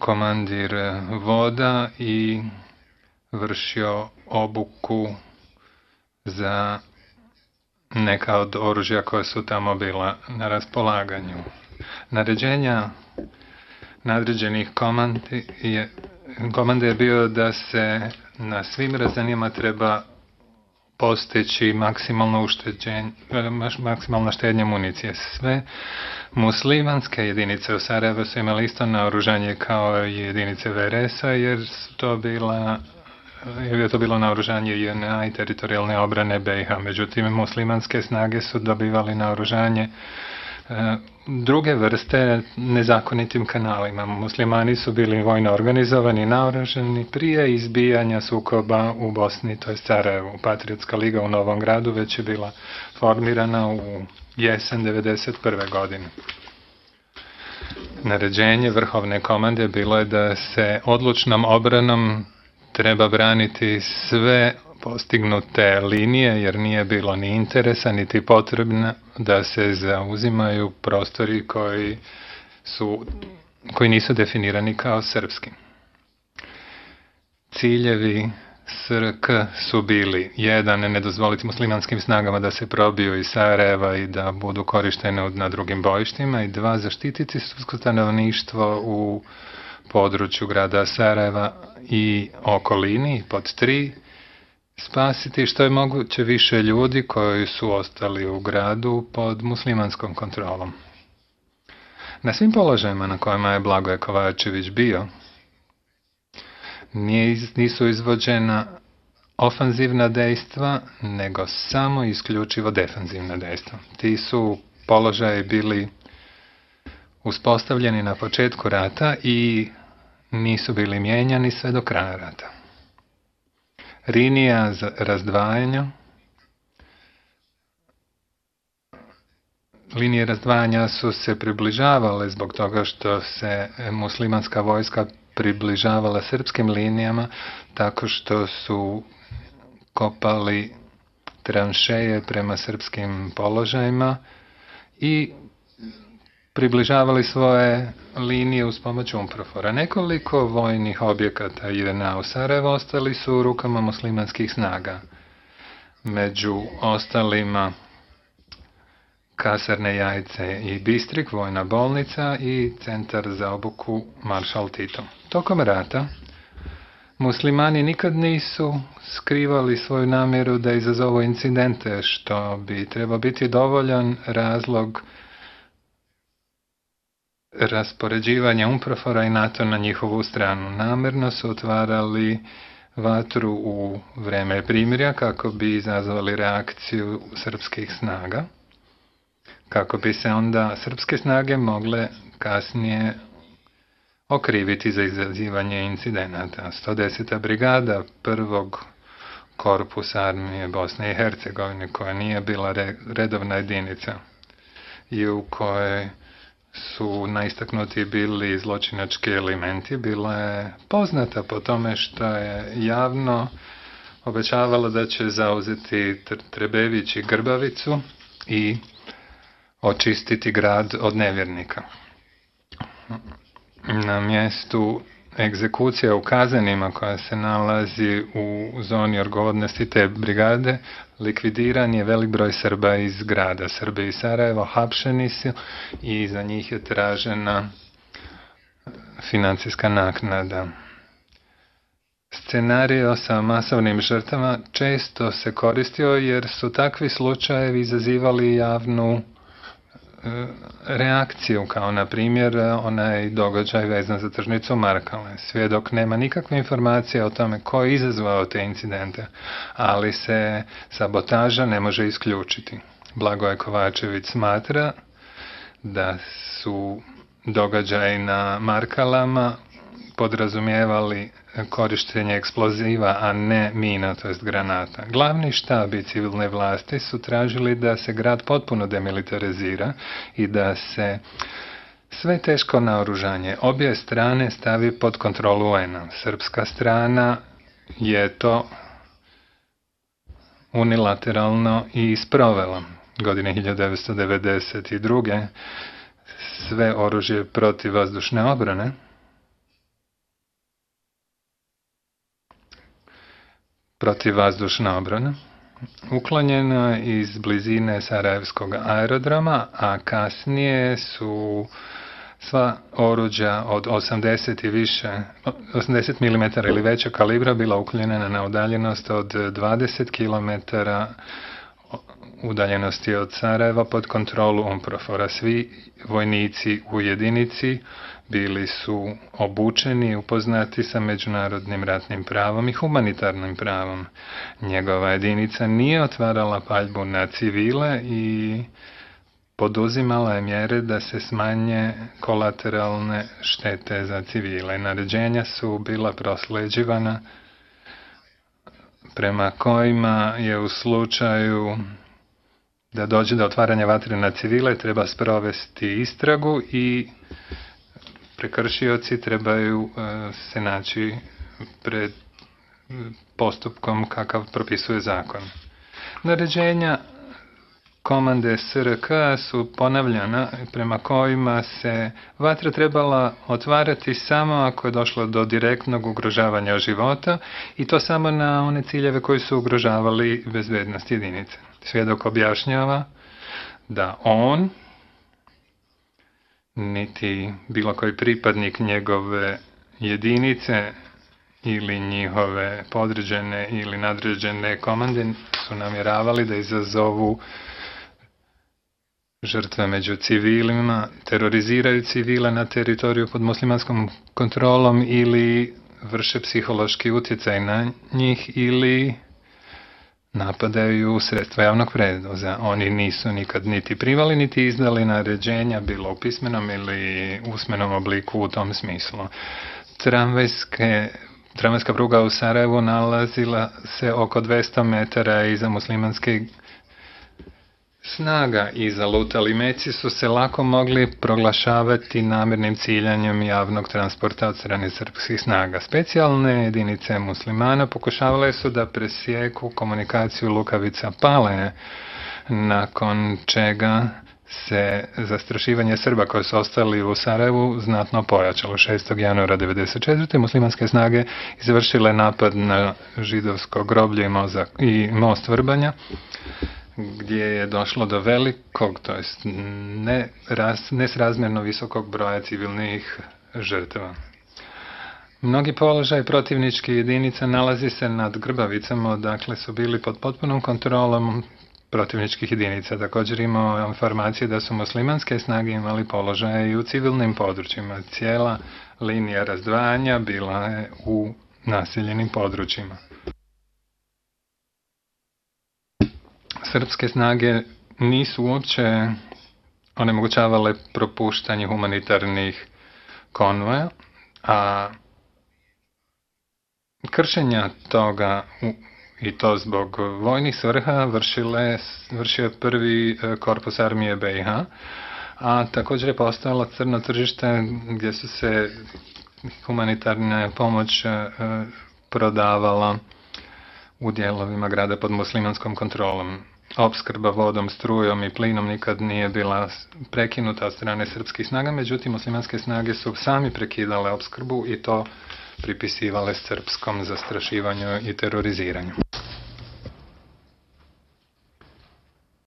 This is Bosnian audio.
komandir voda i vršio obuku za neka od oružja koja su tamo bila na raspolaganju. Naređenja nadređenih komande je bio da se na svim razinama treba postići maksimalna štednja municije. Sve muslimanske jedinice u Sarajevu su imali isto naoružanje kao i jedinice VRS-a, jer je to bilo naoružanje JNA i teritorijalne obrane BiH. Međutim, muslimanske snage su dobivali naoružanje druge vrste nezakonitim kanalima. Muslimani su bili vojno organizovani i naoružani prije izbijanja sukoba u Bosni, to je Sarajevu. Patriotska liga u Novom Gradu već je bila formirana u jesen 1991. godine. Naređenje vrhovne komande bilo je da se odlučnom obranom treba braniti sve postignute linije, jer nije bilo ni interesa, niti potrebno da se zauzimaju prostori koji nisu definirani kao srpski. Ciljevi SRK su bili: 1. Ne dozvoliti muslimanskim snagama da se probiju iz Sarajeva i da budu korištene na drugim bojištima, i 2. Zaštititi srpsko stanovništvo u području grada Sarajeva i okolini. Pod 3. Spasiti što je moguće više ljudi koji su ostali u gradu pod muslimanskom kontrolom. Na svim položajima na kojima je Blagoje Kovačević bio, nisu izvođena ofanzivna dejstva, nego samo isključivo defanzivna dejstva. Ti su položaji bili uspostavljeni na početku rata i nisu bili mijenjani sve do kraja rata. Linija razdvajanja. Linije razdvajanja su se približavale zbog toga što se muslimanska vojska približavala srpskim linijama tako što su kopali tranšeje prema srpskim položajima i približavali svoje linije uz pomoć UNPROFOR-a. Nekoliko vojnih objekata JNA u Sarajevu ostali su u rukama muslimanskih snaga. Među ostalima kasarne Jajce i Bistrik, vojna bolnica i centar za obuku Maršal Tito. Tokom rata muslimani nikad nisu skrivali svoju namjeru da izazovu incidente, što bi trebao biti dovoljan razlog raspoređivanja UNPROFOR-a i NATO na njihovu stranu. Namerno su otvarali vatru u vreme primirja kako bi izazvali reakciju srpskih snaga, kako bi se onda srpske snage mogle kasnije okriviti za izazivanje incidenata. 110. brigada prvog korpusa armije Bosne i Hercegovine, koja nije bila redovna jedinica i u kojoj su najistaknuti bili zločinački elementi, bila je poznata po tome što je javno obećavala da će zauzeti Trebević i Grbavicu i očistiti grad od nevjernika. Na mjestu egzekucija u Kazanima, koja se nalazi u zoni odgovornosti te brigade, likvidiran je velik broj Srba iz grada. Srbi iz Sarajeva hapšeni su i za njih je tražena financijska naknada. Scenario sa masovnim žrtvama često se koristio jer su takvi slučajevi izazivali javnu reakciju, kao na primjer onaj događaj vezan za tržnicu Markale. Svjedok nema nikakve informacije o tome ko je izazvao te incidente, ali se sabotaža ne može isključiti. Blagoje Kovačević smatra da su događaji na Markalama podrazumijevali korištenje eksploziva, a ne mina, to jest granata. Glavni štab i civilne vlasti su tražili da se grad potpuno demilitarizira i da se sve teško naoružanje obje strane stavi pod kontrolu UN-a. Srpska strana je to unilateralno i sprovela. Godine 1992. sve oružje protiv vazdušne obrane protivvazdušna obrana, uklonjena iz blizine Sarajevskog aerodroma, a kasnije su sva oruđa od 80 i više, 80 mm ili veća kalibra bila uklonjena na udaljenost od 20 km udaljenosti od Sarajeva pod kontrolu UNPROFOR-a. Svi vojnici u jedinici bili su obučeni i upoznati sa međunarodnim ratnim pravom i humanitarnim pravom. Njegova jedinica nije otvarala paljbu na civile i poduzimala je mjere da se smanje kolateralne štete za civile. Naređenja su bila prosleđivana prema kojima je u slučaju da dođe do otvaranja vatre na civile treba sprovesti istragu i prekršioci trebaju se naći pred postupkom kakav propisuje zakon. Naređenja komande SRK su ponavljana prema kojima se vatra trebala otvarati samo ako je došlo do direktnog ugrožavanja života i to samo na one ciljeve koji su ugrožavali bezbednost jedinice. Svjedok objašnjava da on niti bilo koji pripadnik njegove jedinice ili njihove podređene ili nadređene komande su namjeravali da izazovu žrtve među civilima, teroriziraju civile na teritoriju pod muslimanskom kontrolom ili vrše psihološki utjecaj na njih ili napadaju sredstva javnog prevoza. Oni nisu nikad niti primali niti izdali naređenja, bilo u pismenom ili usmenom obliku u tom smislu. Tramvajska pruga u Sarajevu nalazila se oko 200 metara iza muslimanske snaga i zalutali meci su se lako mogli proglašavati namjernim ciljanjem javnog transporta od strane srpskih snaga. Specijalne jedinice muslimana pokušavale su da presjeku komunikaciju Lukavica Pale, nakon čega se zastrašivanje Srba koji su ostali u Sarajevu znatno pojačalo. 6. januara 1994. muslimanske snage izvršile napad na židovsko groblje i most Vrbanja, gdje je došlo do velikog, to jest nesrazmjerno visokog broja civilnih žrtava. Mnogi položaj protivničkih jedinica nalazi se nad Grbavicama, odakle su bili pod potpunom kontrolom protivničkih jedinica. Također imamo informacije da su muslimanske snage imali položaje i u civilnim područjima. Cijela linija razdvajanja bila je u naseljenim područjima. Srpske snage nisu uopće onemogućavale propuštanje humanitarnih konvoja, a kršenja toga i to zbog vojnih svrha vršio je prvi korpus armije BiH, a također je postojalo crno tržište gdje su se humanitarna pomoć prodavala u dijelovima grada pod muslimanskom kontrolom. Opskrba vodom, strujom i plinom nikad nije bila prekinuta od strane srpskih snaga, međutim muslimanske snage su sami prekidale opskrbu i to pripisivale srpskom zastrašivanju i teroriziranju.